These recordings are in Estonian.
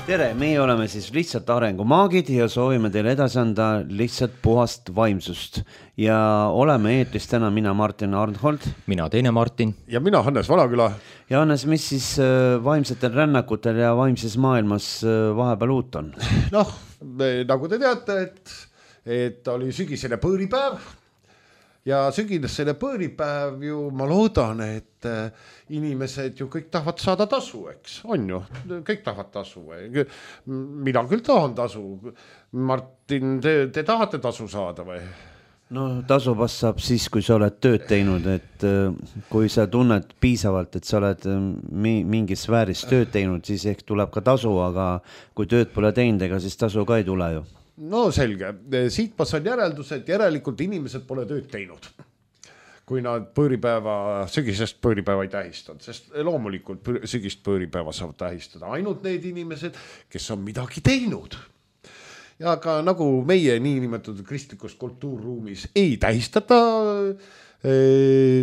Tere, meie oleme siis lihtsalt arengumaagid ja soovime teile edasi anda lihtsalt puhast vaimsust. Ja oleme eetris täna mina Martin Arnhold. Mina teine Martin. Ja mina Hannes Vanaküla. Ja Hannes, mis siis vaimsetel rännakutel ja vaimses maailmas vahepeal uut on? Noh, nagu te teate, et oli sügisene põõripäev. Ja sügisene põõripäev ju, ma loodan, et inimesed ju kõik tahavad saada tasu, eks, on ju, kõik tahavad tasu. Mina küll tahan tasu. Martin, te tahate tasu saada või? No tasuvast saab siis, kui sa oled tööd teinud, et kui sa tunned piisavalt, et sa oled mingis sfääris tööd teinud, siis ehk tuleb ka tasu, aga kui tööd pole teinud, ega siis tasu ka ei tule ju. No selge, siit ma saan järeldus, et järelikult inimesed pole tööd teinud, kui nad sügisest põõripäeva ei tähistanud, sest loomulikult sügist põõripäeva saavad tähistada ainult need inimesed, kes on midagi teinud. Ja ka nagu meie niinimetatud kristlikus kultuurruumis ei tähistata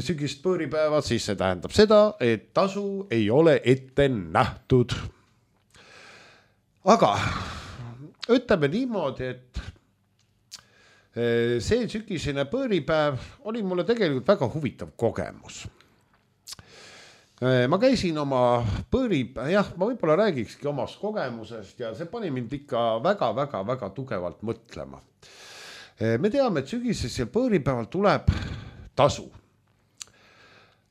sügist põõripäeva, siis see tähendab seda, et tasu ei ole ette nähtud. Aga ütleme niimoodi, et see sügisene põõripäev oli mulle tegelikult väga huvitav kogemus. Ma käisin oma ma võib-olla räägikski omast kogemusest ja see pani mind ikka väga tugevalt mõtlema. Me teame, et sügisesel põõripäeval tuleb tasu.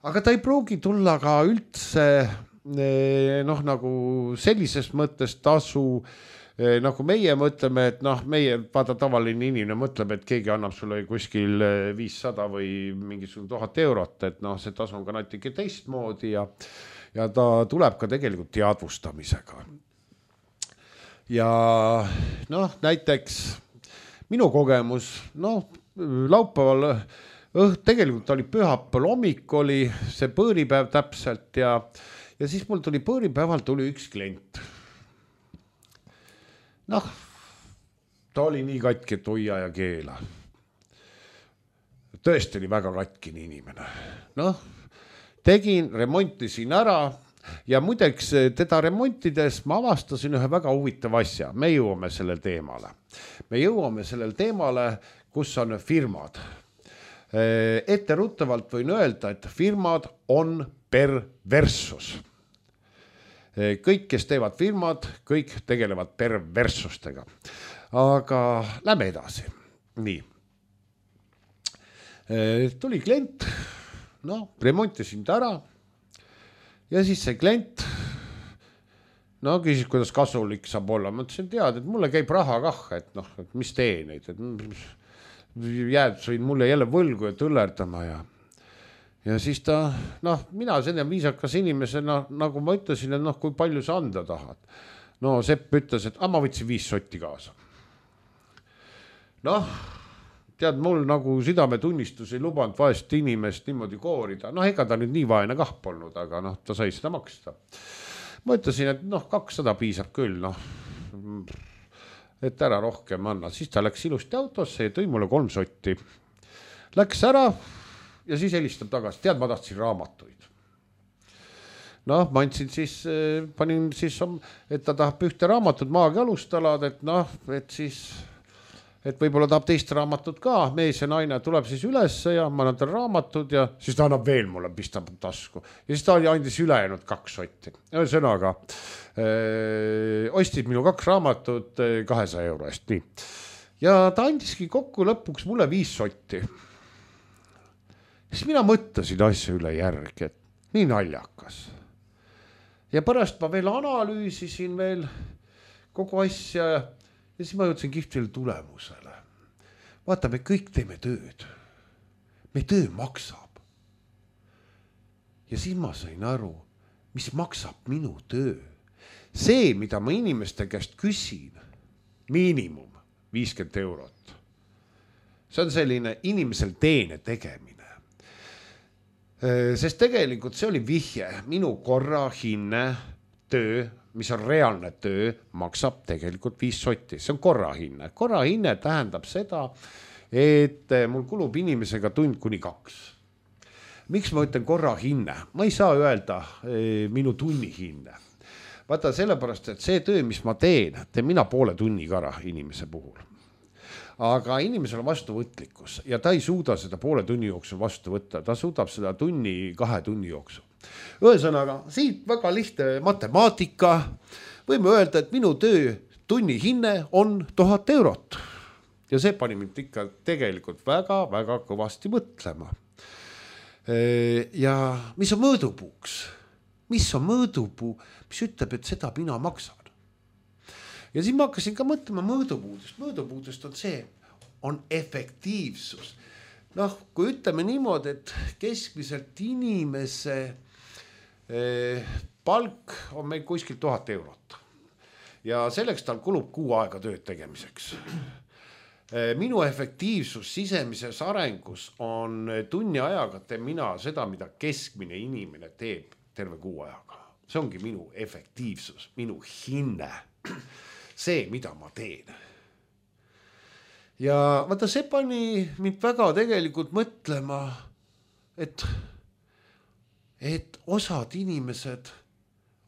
Aga ta ei pruugi tulla ka üldse nagu sellises mõttes tasu, nagu meie mõtleme, et meie vaata tavaline inimene mõtleb, et keegi annab sulle kuskil 500 või mingisugune 1000 eurot, et see tasu on ka natuke teistmoodi ja ta tuleb ka tegelikult teadvustamisega. Ja näiteks minu kogemus, laupäeval tegelikult oli pühapäeval hommik oli see põõripäev täpselt ja siis mul tuli põõripäeval üks klient. Ta oli nii katki, et hoia ja keela. Tõesti oli väga katkine inimene. Remontisin ära ja muideks teda remontides ma avastasin ühe väga huvitava asja. Me jõuame sellel teemale, kus on firmad. Etteruttavalt võin öelda, et firmad on perversus. Kõik, kes teevad firmad, kõik tegelevad perversustega. Aga lähme edasi. Nii. Tuli klient, remontisin ta ära ja siis see klient küsis, kuidas kasulik saab olla. Ma ütlesin, tead, et mulle käib raha kah, et mis tee neid, et sõin mulle jälle võlgu ja tõllerdama ja siis ta, mina selline viisakas inimesena, nagu ma ütlesin, et kui palju sa anda tahad. Sepp ütles, et ma võtsin 5 sotti kaasa. Tead, mul nagu südametunnistus ei lubanud vaest inimest niimoodi koorida. Ega ta nüüd nii vaene kah polnud, aga ta sai seda maksta. Ma ütlesin, et 200 piisab küll, et ära rohkem anna. Siis ta läks ilusti autosse ja tõi mulle 3 sotti. Läks ära. Ja siis helistab tagasi, tead, ma tahtsin raamatuid. Ma andsin siis, panin siis, et ta tahab ühte raamatut Maagia alustalad, et võib-olla tahab teist raamatut ka, mees ja naine tuleb siis üles ja ma annan tal raamatud ja siis ta annab veel mulle, pistab tasku. Ja siis ta andis ülejäänud 2 sotti. Ühesõnaga, ostis minu 2 raamatut 200 euro eest, nii. Ja ta andiski kokku lõpuks mulle 5 sotti. Siis mina mõtlesin asja üle järgi, et nii naljakas. Ja pärast ma veel analüüsisin veel kogu asja ja siis ma jõudsin kihvtile tulemusele. Vaata, me kõik teeme tööd. Me töö maksab. Ja siis ma sain aru, mis maksab minu töö. See, mida ma inimeste käest küsin, miinimum 50 eurot. See on selline inimesel teene tegemine. Sest tegelikult see oli vihje, minu korrahinne töö, mis on reaalne töö, maksab tegelikult 5 sotti. See on korrahinne. Korrahinne tähendab seda, et mul kulub inimesega tund kuni 2. Miks ma ütlen korrahinne? Ma ei saa öelda minu tunnihinne. vaata sellepärast, et see töö, mis ma teen mina poole tunniga ära inimese puhul. Aga inimesel on vastuvõtlikkus ja ta ei suuda seda poole tunni jooksul vastu võtta, ta suudab seda 2 tunni jooksul. Ühesõnaga, siit väga lihtne matemaatika, võime öelda, et minu töö tunni hinne on 1000 eurot. Ja see pani mind ikka tegelikult väga-väga kõvasti mõtlema. Ja mis on mõõdupuuks? Mis on mõõdupuu, mis ütleb, et seda mina maksan? Ja siis ma hakkasin ka mõtlema mõõdupuudest. Mõõdupuudest on see, on efektiivsus. Kui ütleme niimoodi, et keskmiselt inimese palk on meil kuskil 1000 eurot. Ja selleks tal kulub 6 aega tööd tegemiseks. Minu efektiivsus sisemises arengus on tunni ajaga teen mina seda, mida keskmine inimene teeb terve 6 ajaga. See ongi minu efektiivsus, minu hinne. See, mida ma teen. Ja vaata, see pani mind väga tegelikult mõtlema, et osad inimesed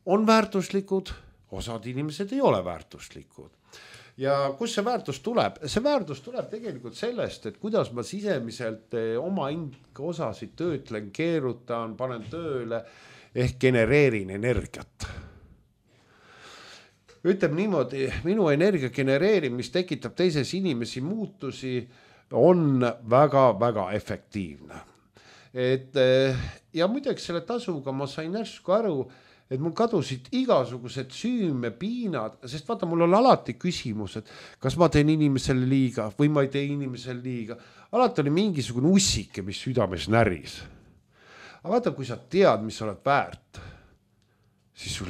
on väärtuslikud, osad inimesed ei ole väärtuslikud. Ja kus see väärtus tuleb? See väärtus tuleb tegelikult sellest, et kuidas ma sisemiselt oma osasid töötlen, keerutan, panen tööle ehk genereerin energiat. Ütleb niimoodi, minu energia genereerimine, mis tekitab teises inimesi muutusi, on väga-väga efektiivne. Ja muideks selle tasuga ma sain järsku aru, et mul kadusid igasugused süümepiinad, sest vaata, mul on alati küsimus, et kas ma teen inimesele liiga või ma ei tee inimesele liiga. Alati oli mingisugune ussike, mis südames näris. Aga vaata, kui sa tead, mis sa oled väärt, siis sul